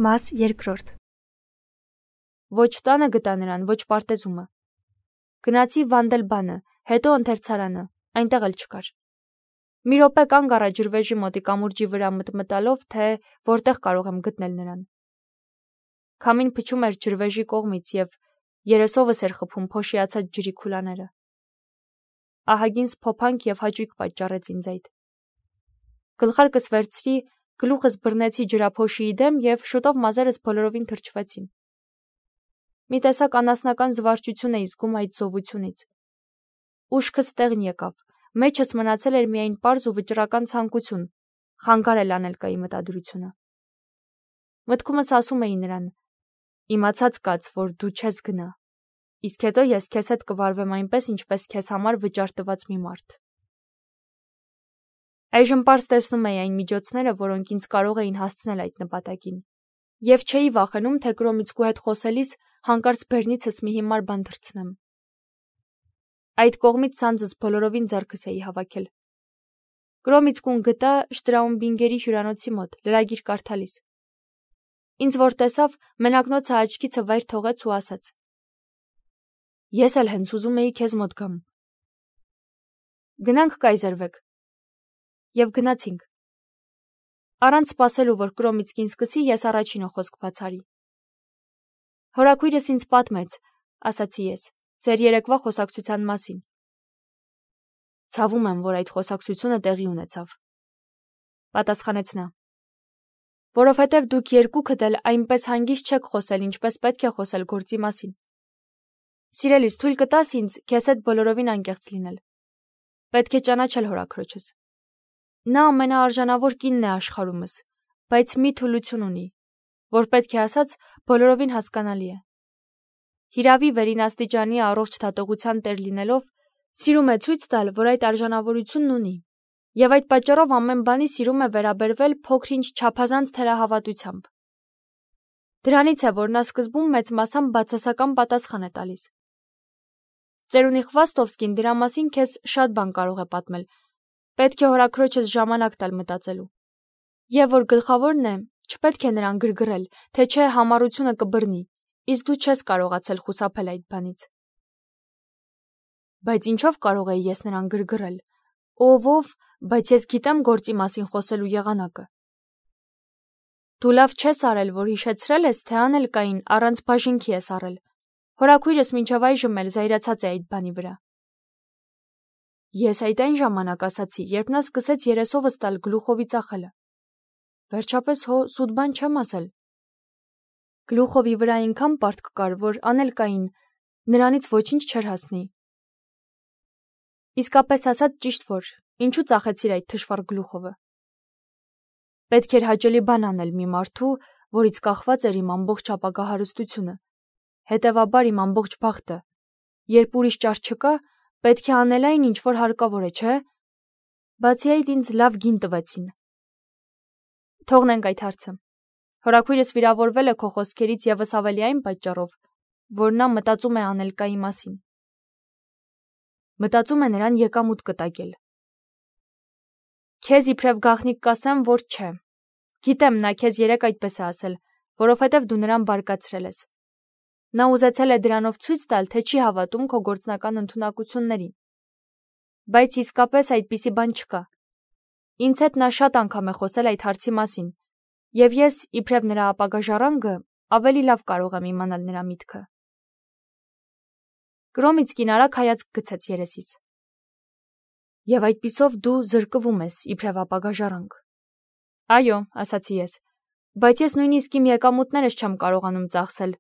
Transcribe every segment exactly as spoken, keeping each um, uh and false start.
Մաս երկրորդ Ոչ տանը գտա նրան, ոչ պարտեզումը։ Գնացի Վանդելբանը, հետո ընթերցարանը, այնտեղ էլ չկար։ Մի րոպե կանգ առա ջրվեժի մոտի կամուրջի վրա մտմտալով, թե որտեղ կարող եմ գտնել նրան։ Քամին փչում էր ջրվեժի կողմից և երեսովս էր խփում փոշիացած ջրի քուլաները։ Ահագին սփոփանք և հաճույք պատճառեց ինձ այդ։ Գլխարկս վերցրի, գլուխս բռնեցի ջրափոշիի դեմ և շուտով մազերս բոլորովին թրջվեցին։ Մի տեսակ անասնական զվարճություն էի զգում այդ զովությունից։ Ուշքս տեղն եկավ, մեջս մնացել էր միայն պարզ ու վճռական ցանկություն խանգարել Անելկայի մտադրությունը։ Մտքումս ասում էի նրան. իմացած կաց, որ դու չես գնա, իսկ հետո ես քեզ հետ կվարվեմ այնպես, ինչպես քեզ համար վճար տված մի մարդ։ Այժմ պարզ տեսնում էի այն միջոցները, որոնք ինձ կարող էին հասցնել այդ նպատակին, և չէի վախենում, թե Կրոմիցկու հետ խոսելիս հանկարծ բերնիցս մի հիմար բան թռցնեմ։ Այդ կողմից սանձս բոլորովին ձեռքս էի հավաքել։ Կրոմիցկուն գտա Շտրաումբինգերի հյուրանոցի մոտ, լրագիր կարդալիս։ Ինձ որ տեսավ, մենակնոցը աչքիցը վայր թողեց ու ասաց. Ես էլ հենց ուզում էի քեզ մոտ գամ։ Գնանք կայզերվեք։ Եվ գնացինք։ Առանց սպասելու, որ Կրոմիցկին սկսի, ես առաջինը խոսք բացարի։ Հորաքույրս ինձ պատմեց, ասացի ես, ձեր երեկվա խոսակցության մասին։ Ցավում եմ, որ այդ խոսակցությունը տեղի ունեցավ, պատասխանեց նա։ Որովհետև դուք երկուքդ էլ այնպես հանգիստ չեք խոսել, ինչպես պետք է խոսել գործի մասին։ Սիրելիս, թույլ կտաս ինձ քեզ հետ բոլորովին անկեղծ լինել։ Պետք է ճանաչել հորաքրոջս։ Նա ամենաարժանավոր կինն է աշխարհումս, բայց մի թուլություն ունի, որ պետք է ասած բոլորովին հասկանալի է։ Հիրավի վերին առողջ դատողության տեր լինելով, սիրում է ցույց տալ, որ այդ արժանավորությունն ունի, և այդ պատճառով ամեն բանի սիրում է վերաբերվել փոքր-ինչ չափազանց թերահավատությամբ։ Դրանից է, որ նա սկզբում մեծ մասամբ բացասական պատասխան է տալիս։ Ծերունի Խվաստովսկին դրա մասին քեզ շատ բան կարող է պատմել, պետք է հորաքրոջս ժամանակ տալ մտածելու։ Եվ որ գլխավորն է, չպետք է նրան գրգռել, թե չէ համառությունը կբռնի, իսկ դու չես կարողացել խուսափել այդ բանից։ Բայց ինչով կարող էի ես նրան գրգռել։ Ով ով, բայց ես գիտեմ գործի մասին խոսելու եղանակը։ Դու լավ չես արել, որ հիշեցրել ես, թե Անելկային առանց բաժինքի ես առել։ Հորաքույրս մինչև այժմ էլ զայրացած է այդ բանի վրա։ Ես այդ այն ժամանակ ասացի, երբ նա սկսեց երեսովս տալ Գլուխովի ծախելը։ Վերջապես հո սուտ բան չեմ ասել։ Գլուխովի վրա այնքան պարտք կար, որ Անելկային նրանից ոչինչ չէր հասնի։ Իսկապես ասած ճիշտ որ, ինչու ծախեցիր այդ թշվառ Գլուխովը։ Պետք էր հաճելի բան անել մի մարդու, որից կախված էր իմ ամբողջ ապագա հարստությունը, հետևաբար իմ ամբողջ բախտը։ Երբ ուրիշ ճար չկա, պետք է անել այն, ինչ որ հարկավոր է, չէ՞։ Բացի այդ ինձ լավ գին տվեցին։ Թողնենք այդ հարցը։ Հորաքույրս վիրավորվել է քո խոսքերից ևս ավելի այն պատճառով, որ նա մտածում է Անելկայի մասին։ Մտածում է նրան եկամուտ կտակել։ Քեզ իբրև գաղտնիք կասեմ, որ չէ։ Գիտեմ, նա քեզ երեկ այդպես է ասել, որովհետև դու նրան բարկացրել ես։ Նա ուզեցել է դրանով ցույց տալ, թե չի հավատում քո գործնական ընդունակություններին։ Բայց իսկապես այդպիսի բան չկա։ Ինձ հետ նա շատ անգամ է խոսել այդ հարցի մասին, և ես, իբրև նրա ապագա ժառանգը, ավելի լավ կարող եմ իմանալ նրա միտքը։ Կրոմիցկին արագ հայացք գցեց երեսից։ Եվ այդպիսով դու զրկվում ես, իբրև ապագա ժառանգ։ Այո, ասացի ես, բայց ես նույնիսկ իմ եկամուտներս չեմ կարողանում ծախսել,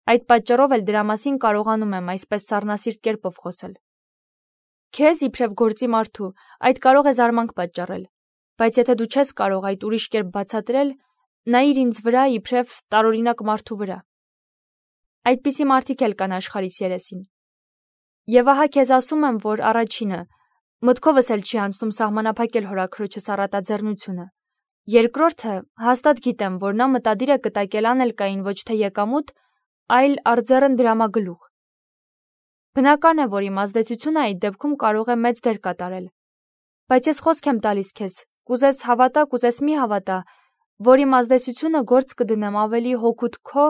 այդ պատճառով էլ դրա մասին կարողանում եմ այսպես սառնասիրտ կերպով խոսել։ Քեզ, իբրև գործի մարդու, այդ կարող է զարմանք պատճառել, բայց եթե դու չես կարող այդ ուրիշ կերպ բացատրել, նայիր ինձ վրա, իբրև տարօրինակ մարդու վրա։ Այդպիսի մարդիկ էլ կան աշխարհիս երեսին։ Եվ ահա քեզ ասում եմ, որ առաջինը, մտքովս էլ չի անցնում սահմանափակել հորաքրոջս առատաձեռնությունը։ Երկրորդը, հաստատ գիտեմ, որ նա մտադիր է կտակել Անելկային ոչ թե եկամուտ, այլ առձեռն դրամագլուխ։ Բնական է, որ իմ ազդեցությունը այդ դեպքում կարող է մեծ դեր կատարել։ Բայց ես խոսք եմ տալիս քեզ, կուզես հավատա, կուզես մի հավատա, որի ազդեցությունը գործ կդնեմ ավելի հօգուտ քո,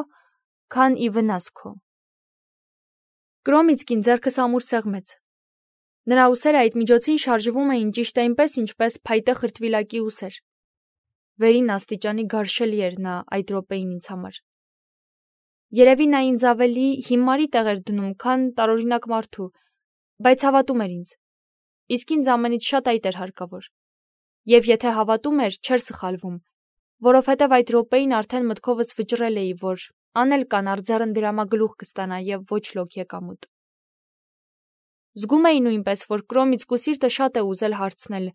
քան ի վնաս քո։ Կրոմիցկին ձեռքը սամուր սեղմեց։ Նրա ուսերը այդ միջոցին շարժվում էին ճիշտ այնպես, ինչպես փայտե խրտվիլակի ուսեր։ Վերին աստիճանի գարշելի էր նա այդ րոպեին ինձ համար։ Երևի նա ինձ ավելի հիմարի տեղ էր դնում, քան տարօրինակ մարդու, բայց հավատում էր ինձ։ Իսկ ինձ ամենից շատ այդ էր հարկավոր։ Եվ եթե հավատում էր, չէր սխալվում, որովհետև այդ րոպեին արդեն մտքովս վճռել էի, որ անել կան արձեռն դրամագլուխ կստանա և ոչ լոկ եկամուտ։ Զգում էի նույնպես, որ Կրոմիցկու սիրտը շատ է ուզել հարցնել,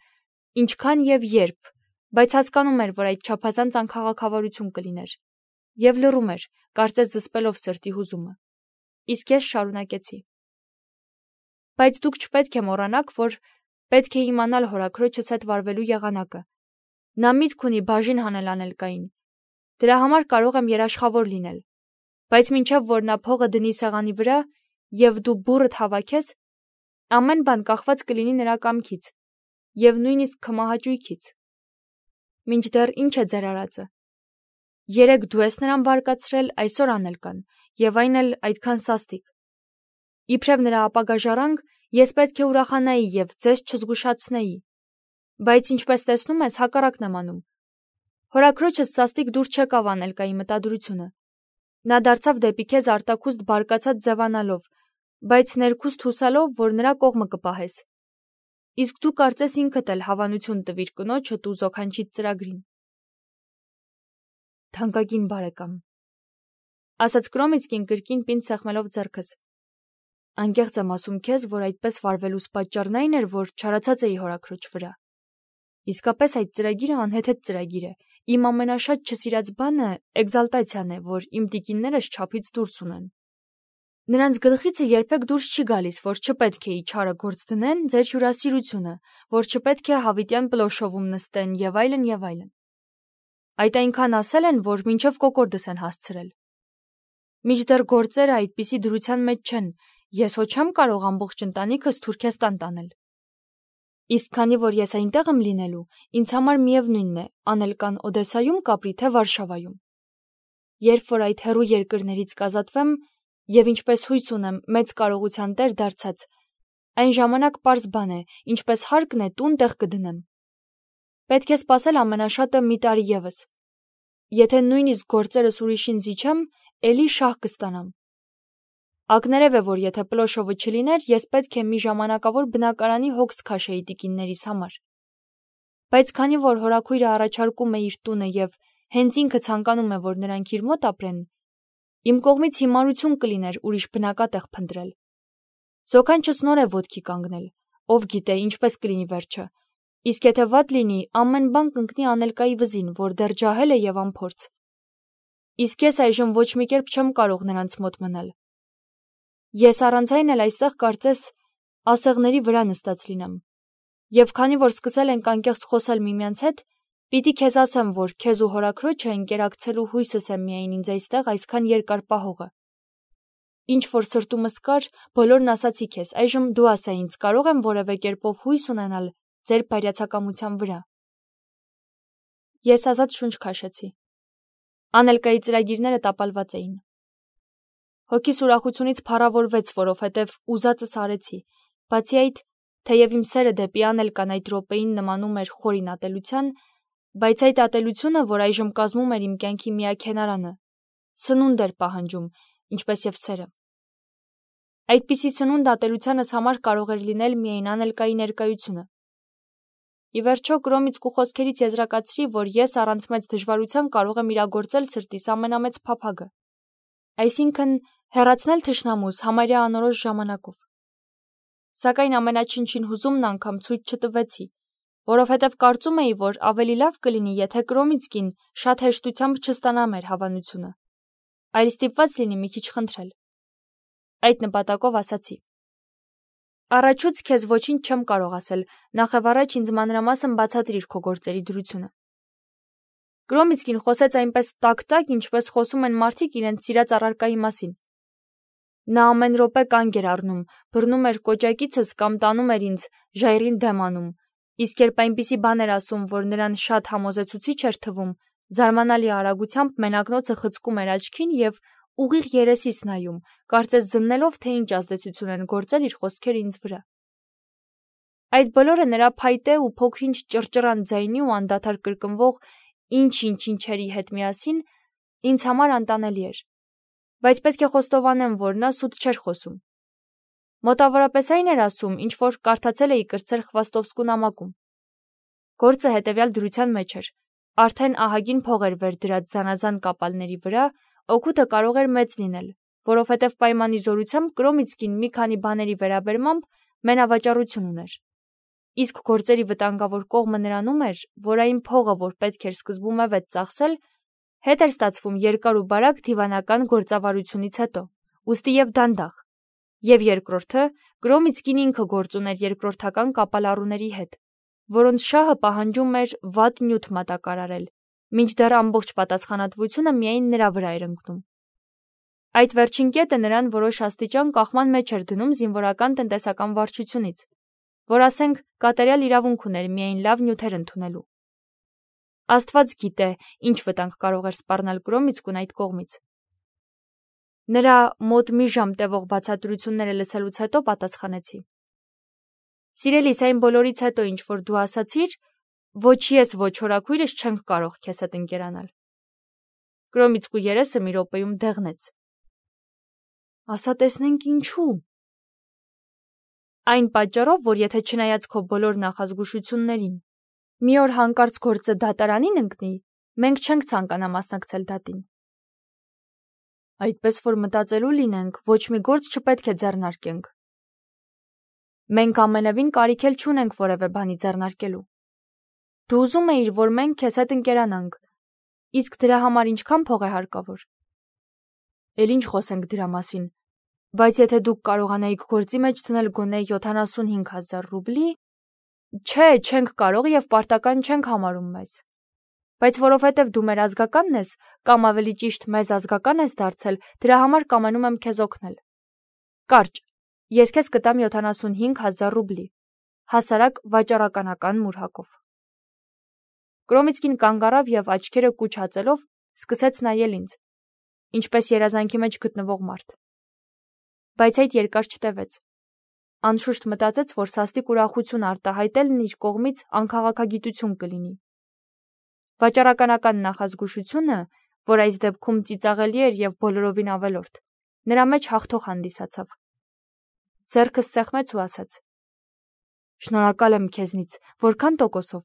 ինչքան և երբ, բայց հասկանում էր, որ այդ չափազանց անքաղաքավարություն կլիներ, և լռում էր, կարծես զսպելով սրտի հուզումը։ Իսկ ես շարունակեցի. Բայց դուք չպետք է մոռանաք, որ պետք է իմանալ հորաքրոջս հետ վարվելու եղանակը։ Նա միտք ունի բաժին հանել անելկային։ Դրա համար կարող եմ երաշխավոր լինել, բայց մինչև որ նա փողը դնի սեղանի վրա և դու բուռդ հավաքես, ամեն բան կախված կլինի նրա կամքից և նույնիսկ քմահաճույքից։ Մինչդեռ ինչ է ձեր արածը։ Երեկ դու ես նրան բարկացրել, այսօր անել կան, և այն էլ այդքան սաստիկ։ Իբրև նրա ապագա ժառանգ, ես պետք է ուրախանայի և ձեզ չզգուշացնեի, բայց ինչպես տեսնում ես, հակառակն եմ անում։ Հորաքրոջս սաստիկ դուր չեկավ անելկայի մտադրությունը։ Նա դարձավ դեպի քեզ արտաքուստ բարկացած ձևանալով, բայց ներքուստ հուսալով, որ նրա կողմը կպահես։ Իսկ դու կարծես ինքդ էլ հավանություն տվիր կնոջդ ու զոքանչիդ ծրագրին։ Թանկագին բարեկամ, ասաց Կրոմիցկին կրկին պինդ սեղմելով ձեռքս։ Անկեղծ եմ ասում քեզ, որ այդպես վարվելուս պատճառն այն էր, որ չարացած էի հորաքրոջ վրա։ Իսկապես այդ ծրագիրը անհեթեթ ծրագիր է։ Իմ ամենաշատ չսիրած բանը էկզալտացիան է, որ իմ տիկիններս չափից դուրս ունեն։ Նրանց գլխիցը երբեք դուրս չի գալիս, որ չպետք է իչարը գործ դնեն ձեր հյուրասիրությունը, որ չպետք է հավիտյան պլոշովում նստեն և այլն և այլն։ Այդ այնքան ասել են, որ մինչև կոկորդս են հասցրել։ Մինչդեռ գործերը այդպիսի դրության մեջ չեն, ես հո չեմ կարող ամբողջ ընտանիքս Թուրքեստան տանել։ Իսկ քանի որ ես այնտեղ եմ լինելու, ինձ համար միևնույնն է, անել կան Օդեսայում կապրի, թե Վարշավայում։ Երբ որ այդ հեռու երկրներից կազատվեմ և ինչպես հույս ունեմ մեծ կարողության տեր դարձած, այն ժամանակ պարզ բան է, ինչպես հարկն է տուն տեղ կդնեմ։ Պետք է սպասել ամենաշատը մի տարի ևս։ Եթե նույնիսկ գործերս ուրիշին զիջեմ, էլի շահ կստանամ։ Ակներև է, որ եթե պլոշովը չլիներ, ես պետք է մի ժամանակավոր բնակարանի հոգս քաշեի տիկիններիս համար։ Բայց քանի որ հորաքույրը առաջարկում է իր տունը և հենց ինքը ցանկանում է, որ նրանք իր մոտ ապրեն, իմ կողմից հիմարություն կլիներ ուրիշ բնակատեղ փնտրել։ Զոքանչս նոր է ոտքի կանգնել, ով գիտե ինչպես կլինի վերջը, իսկ եթե վատ լինի, ամեն բան կընկնի անելկայի վզին, որ դեռ ջահել է և անփորձ։ Իսկ ես այժմ ոչ մի կերպ չեմ կարող նրանց մոտ մնալ։ Ես առանց այն էլ այստեղ կարծես ասեղների վրա նստած լինեմ։ Եվ քանի որ սկսել ենք անկեղծ խոսել միմյանց հետ, պիտի քեզ ասեմ, որ քեզ ու հորաքրոջը ընկերակցելու հույսս է միայն ինձ այստեղ այսքան երկար պահողը։ Ինչ որ սրտումս կար, բոլորն ասացի քեզ, այժմ դու ասա ինձ, կարող եմ որևէ կերպով հույս ունենալ ձեր բարյացակամության վրա։ Ես ազատ շունչ քաշեցի։ Անելկայի ծրագիրները տապալված էին։ Հոգիս ուրախությունից փառավորվեց, որովհետև ուզածս արեցի։ Բացի այդ, թեև իմ սերը դեպի անելկան այդ րոպեին նմանում էր խորին ատելության, բայց այդ ատելությունը, որ այժմ կազմում էր իմ կյանքի միաքենարանը, սնունդ էր պահանջում, ինչպես և սերը։ Այդպիսի սնունդ ատելությանս համար կարող էր լինել միայն անելկայի ներկայությունը։ Ի վերջո Կրոմիցկու խոսքերից եզրակացրի, որ ես առանց մեծ դժվարության կարող եմ իրագործել սրտիս ամենամեծ փափագը, այսինքն հեռացնել թշնամուս համարյա անորոշ ժամանակով։ Սակայն ամենաչնչին հուզումն անգամ ցույց չտվեցի, որովհետև կարծում էի, որ ավելի լավ կլինի, եթե Կրոմիցկին շատ հեշտությամբ չստանա մեր հավանությունը, այլ ստիպված լինի մի քիչ խնդրել։ Այդ նպատակով ասացի. Առաջուց քեզ ոչինչ չեմ կարող ասել, նախևառաջ ինձ մանրամասն բացատրիր քո գործերի դրությունը։ Կրոմիցկին խոսեց այնպես տակ-տակ, ինչպես խոսում են մարդիկ իրենց սիրած առարկայի մասին։ Նա ամեն րոպե կանգ էր առնում, բռնում էր կոճակիցս կամ տանում էր ինձ, ժայռին դեմ անում, իսկ երբ այնպիսի բան էր ասում, որ նրան շատ համոզեցուցիչ էր թվում, Զարմանալի արագությամբ մենակնոցը խցկում էր աչքին և ուղիղ երեսիս նայում, կարծես զննելով, թե ինչ ազդեցություն են գործել իր խոսքերը ինձ վրա։ Այդ բոլորը նրա փայտե ու փոքրինչ ճռճռան ձայնի ու անդադար կրկնվող ինչ-ինչ ինչերի հետ միասին ինձ համար անտանելի էր, բայց պետք է խոստովանեմ, որ նա սուտ չէր խոսում։ Մոտավորապես այն էր ասում, ինչ որ կարդացել էի կրտսեր Խվաստովսկու նամակում։ Գործը հետևյալ դրության մեջ էր. արդեն ահագին փող էր վեր դրած զանազան կապալների վրա, օգուտը կարող էր մեծ լինել, որովհետև պայմանի զորությամբ Կրոմիցկին մի քանի բաների վերաբերմամբ մենավաճառություն ուներ։ Իսկ գործերի վտանգավոր կողմը նրանում էր, որ այն փողը, որ պետք էր սկզբում ավետ ծախսել, հետ էր ստացվում երկար ու բարակ դիվանական գործավարությունից հետո, ուստի եւ դանդաղ, եւ երկրորդը Կրոմիցկին ինքը գործ ուներ երկրորդական կապալառուների հետ, որոնց շահը պահանջում էր վատ նյութ մատակարարել, մինչդեռ ամբողջ պատասխանատվությունը միայն նրա վրա էր ընկնում։ Այդ վերջին կետը նրան որոշ աստիճան կախման մեջ էր դնում զինվորական տնտեսական վարչությունից, որ ասենք կատարյալ իրավունք ուներ միայն լավ նյութեր ընդունելու։ Աստված գիտե, ինչ վտանգ կարող էր սպառնել Կրոմիցկուն այդ կողմից։ Նրա մոտ մի ժամ տևող բացատրությունները լսելուց հետո պատասխանեցի. Սիրելիս, այն բոլորից հետո, ինչ որ դու ասացիր, ոչ ես, ոչ հորաքույրս չենք կարող քեզ հետ ընկերանալ։ Կրոմիցկու երեսը մի րոպեում դեղնեց։ Ասա տեսնենք ինչու։ Այն պատճառով, որ եթե չնայած քո բոլոր նախազգուշություններին, մի օր հանկարծ գործը դատարանին ընկնի, մենք չենք ցանկանա մասնակցել դատին։ Այդպես որ մտածելու լինենք, ոչ մի գործ չպետք է ձեռնարկենք։ Մենք ամենևին կարիք էլ չունենք որևէ բանի ձեռնարկելու։ Դու ուզում էիր, որ մենք քեզ հետ ընկերանանք, իսկ դրա համար ինչքան փող է հարկավոր։ Էլ ինչ խոսենք դրա մասին, բայց եթե դուք կարողանայիք գործի մեջ դնել գոնե յոթանասունհինգ հազար ռուբլի, չէ, չենք կարող եւ պարտական չենք համարում մեզ։ Բայց որովհետև դու մեր ազգականն ես, կամ ավելի ճիշտ մեզ ազգական ես դարձել, դրա համար կամենում եմ քեզ օգնել։ Կարճ, ես քեզ կտամ յոթանասունհինգ հազար ռուբլի, հասարակ վաճառականական մուրհակով։ Կրոմիցկին կանգ առավ եւ աչքերը կուչ հացելով սկսեց նայել ինձ, ինչպես երազանքի մեջ գտնվող մարդ։ Բայց այդ երկար չտևեց։ Անշուշտ մտածեց, որ սաստիկ ուրախություն արտահայտելն իր կողմից անքաղաքագիտություն կլինի։ Վաճառականական նախազգուշությունը, որ այս դեպքում ծիծաղելի էր եւ բոլորովին ավելորդ, նրա մեջ հաղթող հանդիսացավ։ Ձեռքս սեղմեց ու ասաց. Շնորհակալ եմ քեզնից, որքան տոկոսով։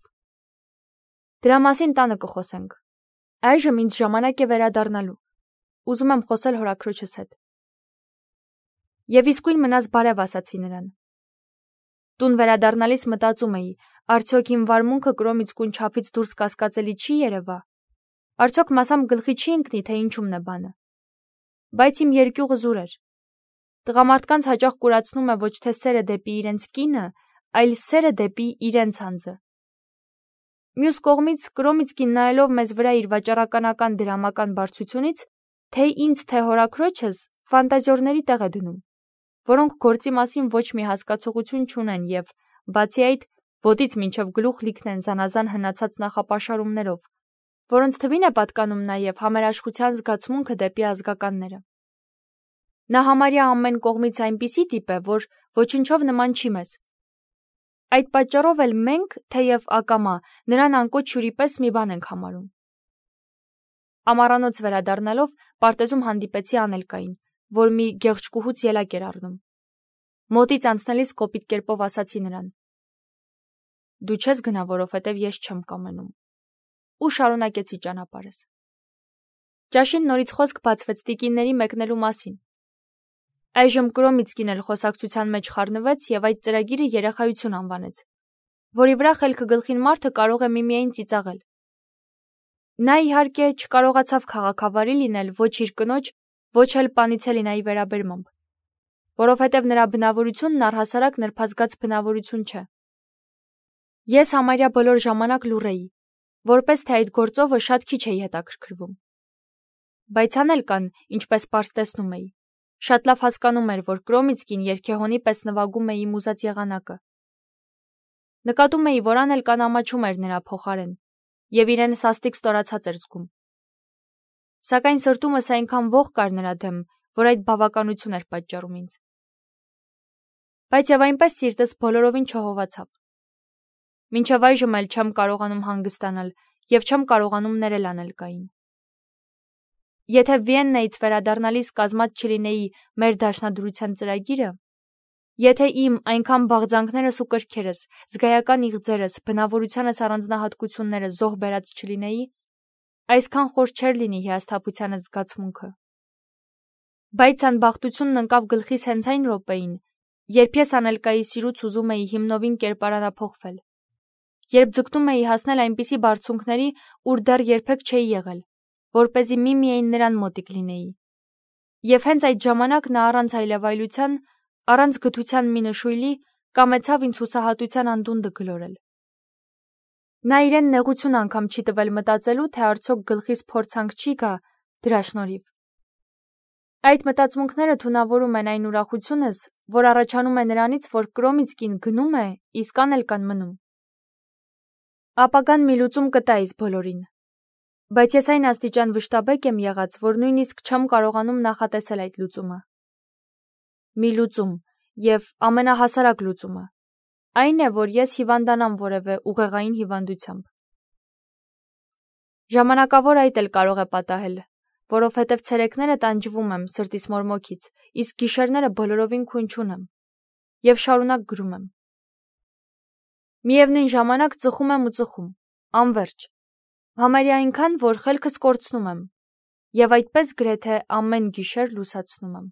Դրա մասին տանը կխոսենք։ Այժմ ինձ ժամանակ է վերադառնալու։ Ուզում եմ խոսել հորաքրոջս հետ։ Եվ իսկույն մնաց բարև ասացի նրան։ Տուն վերադառնալիս մտածում էի, արդյոք իմ վարմունքը Կրոմիցկուն չափից դուրս կասկածելի չի երևա։ Արդյոք մասամբ գլխի չի ընկնի, թե ինչումն է բանը։ Բայց իմ երկյուղը զուր էր։ Տղամարդկանց հաճախ կուրացնում է ոչ թե սերը դեպի իրենց կինը, այլ սերը դեպի իրենց անձը։ Մյուս կողմից Կրոմիցկին նայելով մեզ վրա իր վաճառականական դրամական բարձությունից, թե ինձ, թե հորաքրոջս ֆանտազիորների տեղ է դնում, որոնք գործի մասին ոչ մի հասկացողություն չունեն եւ, բացի այդ, ոտից մինչև գլուխ լիքն են զանազան հնացած նախապաշարումներով, որոնց թվին է պատկանում նաեւ համերաշխության զգացմունքը դեպի ազգականները։ Նա համարյա ամեն կողմից այնպիսի տիպ է, որ ոչնչով նման չի մեզ։ Այդ պատճառով էլ մենք, թեև ակամա, նրան անկոչ հյուրի պես մի բան ենք համարում։ Ամառանոց վերադառնալով պարտեզում հանդիպեցի Անելկային, որ մի գեղջկուհուց ելակ էր առնում։ Մոտից անցնելիս կոպիտ կերպով ասացի նրան. Դու չես գնա, որովհետև ես չեմ կամենում։ Ու շարունակեցի ճանապարհս։ Ճաշին նորից խոսք բացվեց տիկինների մեկնելու մասին։ Այժմ Կրոմիցկին էլ խոսակցության մեջ խառնվեց եւ այդ ծրագիրը երեխայություն անվանեց, որի վրա խելքը գլխին մարդը կարող է միմիայն ծիծաղել։ Նա իհարկե չկարողացավ քաղաքավարի լինել ոչ իր կնոջ, ոչ էլ Պանիցելինայի վերաբերմամբ, որովհետև նրա բնավորությունն առհասարակ նրբազգաց բնավորություն չէ։ Ես համարյա բոլոր ժամանակ լուռ էի, որպես թե այդ գործովը շատ քիչ էի հետաքրքրվում։ Բայց Անելկան, ինչպես պարզ տեսնում էի, շատ լավ հասկանում էր, որ Կրոմիցկին երգեհոնի պես նվագում է իմ ուզած եղանակը։ Նկատում էի, որ Անելկան ամաչում էր նրա փոխարեն, և իրեն սաստիկ ստորացած էր զգում։ Սակայն սրտումս այնքան ոխ կար նրա դեմ, որ այդ բավականություն էր պատճառում ինձ։ Բայց և այնպես սիրտս բոլորովին չհովացավ։ Մինչև այժմ էլ չեմ կարողանում հանգստանալ և չեմ կարողանում ներել Անելկային։ Եթե Վիեննայից վերադառնալիս կազմած չլինեի մեր դաշնադրության ծրագիրը, եթե իմ այնքան բաղձանքներս ու կրքերս, զգայական իղձերս, բնավորությանս առանձնահատկությունները զոհ բերած չլինեի, այսքան խոր չէր լինի հիասթափությանս զգացմունքը։ Բայց անբախտությունն ընկավ գլխիս հենց այն րոպեին, երբ ես Անելկայի սիրուց ուզում էի հիմնովին կերպարանափոխվել, երբ ձգտում էի հասնել այնպիսի բարձունքների, ուր դեռ երբեք չէի եղել, որպեսզի միմիայն նրան մոտիկ լինեի։ Եվ հենց այդ ժամանակ նա առանց այլևայլության, առանց գթության մի նշույլի, կամեցավ ինձ հուսահատության անդունդը գլորել։ Նա իրեն նեղություն անգամ չի տվել մտածելու, թե արդյոք գլխիս փորձանք չի գա դրա շնորհիվ։ Այդ մտածմունքները թունավորում են այն ուրախությունս, որ առաջանում է նրանից, որ կրոմից կին գնում է, իսկ Անելկան մնում։ Ապագան մի լուծում կտա իս բոլորին։ Բայց ես այն աստիճան վշտաբեկ եմ եղած, որ նույնիսկ չեմ կարողանում նախատեսել այդ լուծումը։ Մի լուծում, և ամենահասարակ լուծումը, այն է, որ ես հիվանդանամ որևէ ուղեղային հիվանդությամբ։ Ժամանակավոր այդ էլ կարող է պատահել, որովհետև ցերեկները տանջվում եմ սրտիս մորմոքից, իսկ գիշերները բոլորովին քույն չունեմ, և շարունակ գրում եմ։ Միևնույն ժամանակ ծխում եմ ու ծխում, անվերջ, համարյա այնքան, որ խելքս կորցնում եմ, և այդպես գրեթե ամեն գիշեր լուսացնում եմ։